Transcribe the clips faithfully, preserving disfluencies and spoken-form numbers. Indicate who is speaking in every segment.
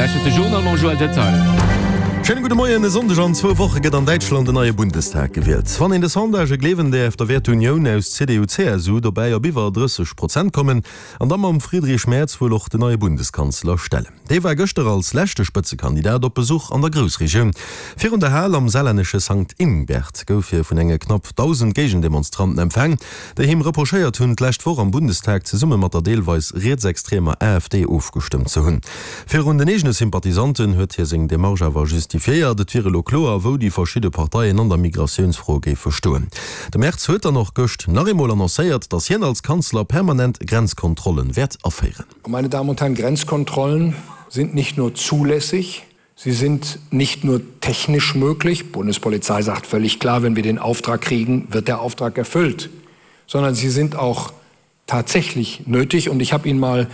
Speaker 1: Dir lauschtert de Journal mam Joël Detail.
Speaker 2: Schéine gudde Moien, E Sonndeg an zwou Woche gëtt an Däitschland en neie Bundestag gewielt. Wann een de Sondagë gleewen däerf, da wäert d'Unioun aus C D U-C S U dobäi op iwwer drësseg Prozent kommen an da mam Friedrich Merz wuel och den neie Bundeskanzler stellen. Dee war gëschter als leschte Spëtzekandidat op Besuch an der Groussregioun. Virun der Hal am saarlännesche Sankt Ingbert gouf hie vun enge knapp dausend Géigendemonstranten empfaang, déi him reprochéiert hunn, d'lescht Woch am Bundestag zesumme mat der deelweis rietsextremer A F D ofgestëmmt ze hunn. Virun den eegene Sympathisanten huet hie seng Demarche awer justifiéiert, et wier elo kloer, wou déi verschidde Parteien an der Migratiounsfro géife stoen. De Merz huet dann och gëscht nach eemol annoncéiert, datt hien als Kanzler permanent Grenzkontrollen wäert aféieren.
Speaker 3: Meine Damen und Herren, Grenzkontrollen sind nicht nur zulässig, sie sind nicht nur technisch möglich, Bundespolizei sagt völlig klar, wenn wir den Auftrag kriegen, wird der Auftrag erfüllt, sondern sie sind auch tatsächlich nötig. Und ich habe Ihnen mal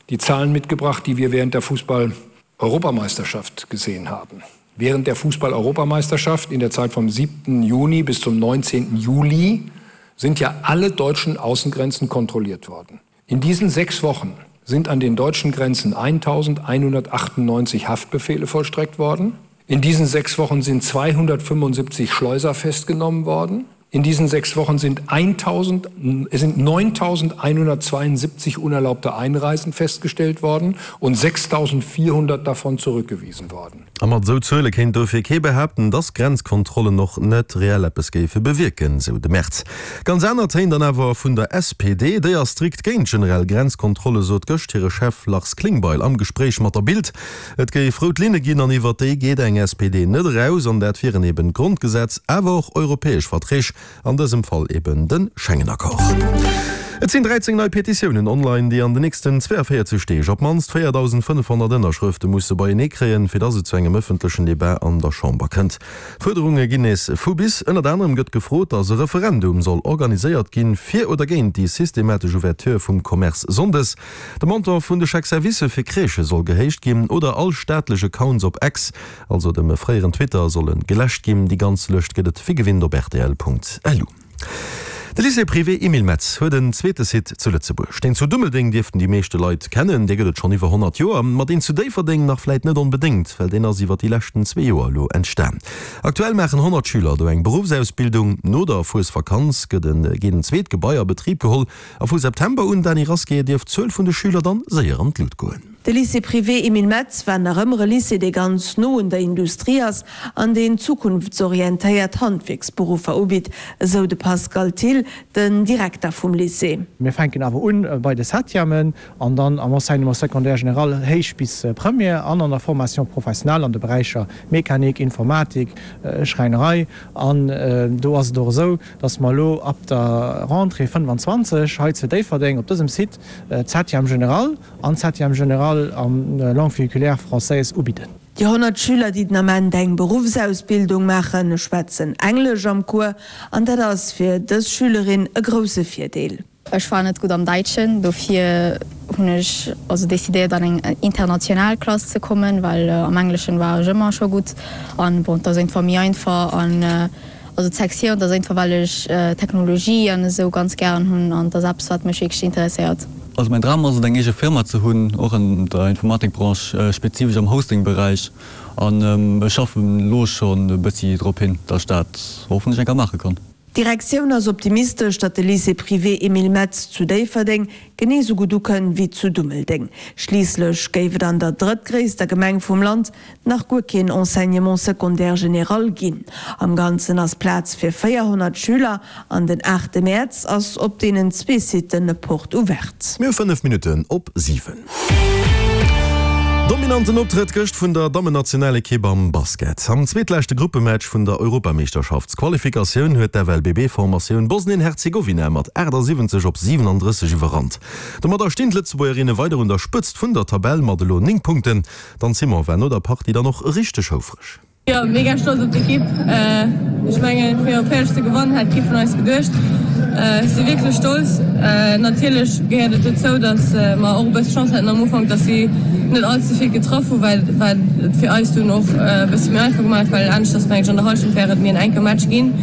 Speaker 3: die Zahlen mitgebracht, die wir während der Fußball-Europameisterschaft gesehen haben. Während der Fußball-Europameisterschaft in der Zeit vom siebten Juni bis zum neunzehnten Juli sind ja alle deutschen Außengrenzen kontrolliert worden. In diesen sechs Wochen sind an den deutschen Grenzen eintausendeinhundertachtundneunzig Haftbefehle vollstreckt worden. In diesen sechs Wochen sind zweihundertfünfundsiebzig Schleuser festgenommen worden. In diesen sechs Wochen sind, eintausend, sind neuntausendeinhundertzweiundsiebzig unerlaubte Einreisen festgestellt worden und sechstausendvierhundert davon zurückgewiesen worden.
Speaker 2: A mat esou Zuele kéint dofir kee behaapten, dass Grenzkontrollen och net reell eppes géife bewierken, sou de Merz. Ganz aner Téin dann awer vun der S P D. Déi ass strikt géint generell Grenzkontrolle, sot gëscht hire Chef Lars Klingbeil am Gespréich mat der Bild. Et géif rout Linne ginn an iwwer déi geet eng S P D net eraus, an dat wieren eben d'Grondgesetz, awer och europäesch Verträg, an dësem Fall eben de Schengen-Accord. Et sinn dräizéng nei Petitiounen online, déi an den nächsten zweeënvéierzeg Deeg op d'mannst véierdausendfënnefhonnert Ënnerschrëfte musse beienee kréien, fir datt et zu engem ëffentlechen Debat an der Chamber kënnt. D'Fuerderunge ginn nees vu bis. Ënnert anerem gëtt gefrot, datt e Referendum soll organiséiert ginn, fir oder géint déi systematesch Ouverture vum Commerce sonndes. De Montant vun de Chèque-servicë fir Crèchë soll gehéicht ginn oder all staatlech Accounts op X, also dem fréieren Twitter, solle geläscht ginn. Déi ganz Lëscht gëtt et wéi gewinnt op R T L Punkt L U. De Lycée privé Emile Metz huet en zweete Site zu Lëtzebuerg. Deen zu Dummeldeng dierften déi meeschte Leit kennen, dee gëtt et schonn iwwer honnert Joer. Ma deen zu Déifferdeng nach vläit net onbedéngt, well deen ass iwwer déi leschten zwee Joer elo entstan. Aktuell maachen honnert Schüler do eng Beruffsausbildung. No der Fuesvakanz gëtt en geet en zweet Gebai a Betrib geholl a vu September un, Dany Rasqué, dierft d'Zuel vun de Schüler dann séier an d'Lut goen.
Speaker 4: De Lycée privé Emile Metz war nach ëmmer e Lycée, dee ganz no un der Industrie ass an deen zukunftsorientéiert Handwierksberuffer ubitt, esou de Pascal Thill, den Direkter vum Lycée.
Speaker 5: Mir fänken awer un bei de Septièmen an dann am Enseignement secondaire général héich bis Première an an der Formation professionnelle an de Beräicher Mechanik, Informatik, Schräinerei. An do ass et och esou, dass mer elo ab der Rentrée fënnfanzwanzeg hei zu Déifferdeng op dësem Site d'Septième générale an d'Septième générale en langue véhiculaire française ubidden.
Speaker 4: Déi honnert Schüler, déi den Ament eng Beruffsausbildung maachen, schwätzen Englesch am Cours an dat ass fir dës Schülerin e grousse Virdeel.
Speaker 6: Ech war net gutt am Däitschen, dofir hunn ech also decidéiert an eng international Klass ze kommen, well am Engleschen war ech ëmmer scho gutt an bon, dat ass einfach méi einfach an also d'Sektioun, dat ass einfach well ech Technologie an esou ganz gären hunn an dat ass eppes wat mech wierklech interesséiert.
Speaker 7: Also mäin Dram ass et eng eege Firma ze hunn, och an der Informatikbranche, spezifesch am Hosting-Beräich an ech schaffen elo schonn e bëssi drop hin, datt ech dat hoffentlech eng Kéier maache kann.
Speaker 4: D'Direktioun ass optimistesch, datt de Lycée privé Emile Metz zu Déifferdeng genee sou gutt ukënnt wéi zu Dummeldeng. Schliisslech géif et an der drëttgréisster Gemeng vum Land nach guer keen Enseignement secondaire général ginn. Am Ganzen ass Plaz fir véierhonnert Schüler an den aachte Mäerz ass op deenen zwee Siten Porte ouverte.
Speaker 2: Mir hu fënnef Minutten op siwen. Dominanten Optrëtt gëscht vun der Dammennationalekipp am Basket. Am zweetleschte Gruppematch vun der Europameeschterschaftsqualifikatioun huet d'F L B B-Formatioun Bosnien-Herzegowina mat achtasiwwenzeg op siwenandrësseg iwwerrannt. Domadder stinn d'Lëtzebuergerinne weider un der Spëtzt vun der Tabell mat elo néng Punkten. D'Anne Simon war no der Partie dann och richteg houfreg.
Speaker 8: Jo, mega stolz op d'Ekipp. Ech mengen, fir op Féiereg ze gewannen, hätt kee vun eis geduecht. Ech si wierklech stolz. Natierlech gehéiert et dozou, datt mer och e bësse Chance haten am Ufank, datt si net all ze vill getraff hunn, well wat et fir eis dunn och e bësse méi einfach gemaach huet, well aneschters mengen ech an der Hallschent wär et méi en enke Match ginn.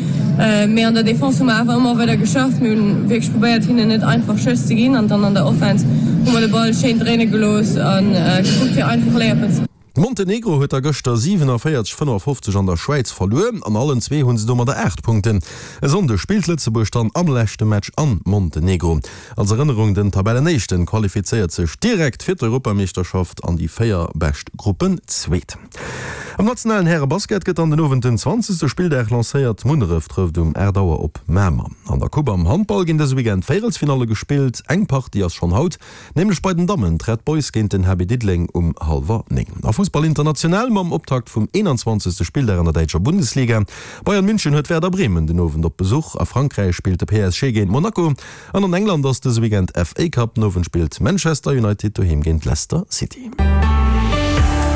Speaker 8: Mee an der Defense hu mer awer ëmmer weider geschafft. Mir hunn wierklech probéiert, hinnen net einfach Schëss ze ginn an dann an der Offense hu mer de Ball schéin dréine gelooss a gekuckt, fir einfach Layuppen ze.
Speaker 2: Montenegro huet da gëschter siwenavéierzeg fënnefafofzeg an der Schwäiz verluer. An allen zwee hu se domadder aacht Punkten. E Sonndeg spillt Lëtzebuerg dann am leschte Match an Montenegro. Als Erënnerung, Den Tabellenéischten qualifizéiert sech direkt fir d'Europameeschterschaft an déi véier bescht Gruppenzweet. Am nationalen Härebasket gëtt an den Owend den zwanzegste Spilldag lancéiert. Munneref trëfft um aacht Auer op Mamer. An der Coupe am Handball ginn dëse Weekend Véierelsfinalle gespillt. Eng Partie ass schonn haut, nämlech bei den Dammen d'Red Boys géint den H B Diddeleng um hallwer néng. A Fussball international mam Optakt vum eenanzwanzegste Spilldag an der däitscher Bundesliga. Bayern München huet Werder Bremen den Owend op Besuch. A Frankräich spillt de P S G géint Monaco. An an England ass dëse Weekend F A Cup. Den Owend spillt Manchester United doheem géint Leicester City.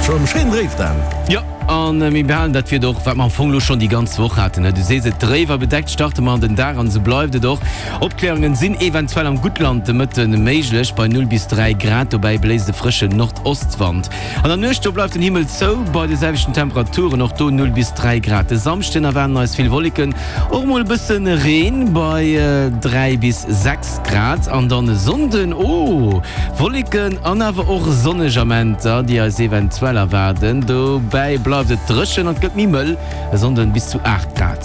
Speaker 2: Schon schéin dréif Dan.
Speaker 1: Jo, an mir behalen dat Wieder och, wat mer am Fong lo schonn déi ganz Woch haten. Du sees et, dréif a bedeckt starte mer an den Dag an esou bleift et och. Opkläerungen sinn eventuell am Guttland de Mëtte méiglech bei null bis dräi Grad. Dobäi bléist e frëschen Nordostwand. An der Nuecht do bleift den Himmel zou bei de selwechten Temperaturen, och do null bis dräi Grad. De Samschden erwaarden eis vill Wolleken, och mol e bësse Reen bei dräi bis sechs Grad. An dann e Sonnden, oh, Wolleken an awer och sonneg Amenter, déi eis eventuell erwaarden. Dobäi bleift et dréchen an et gëtt méi mëll, e Sonnden bis zu aacht Grad.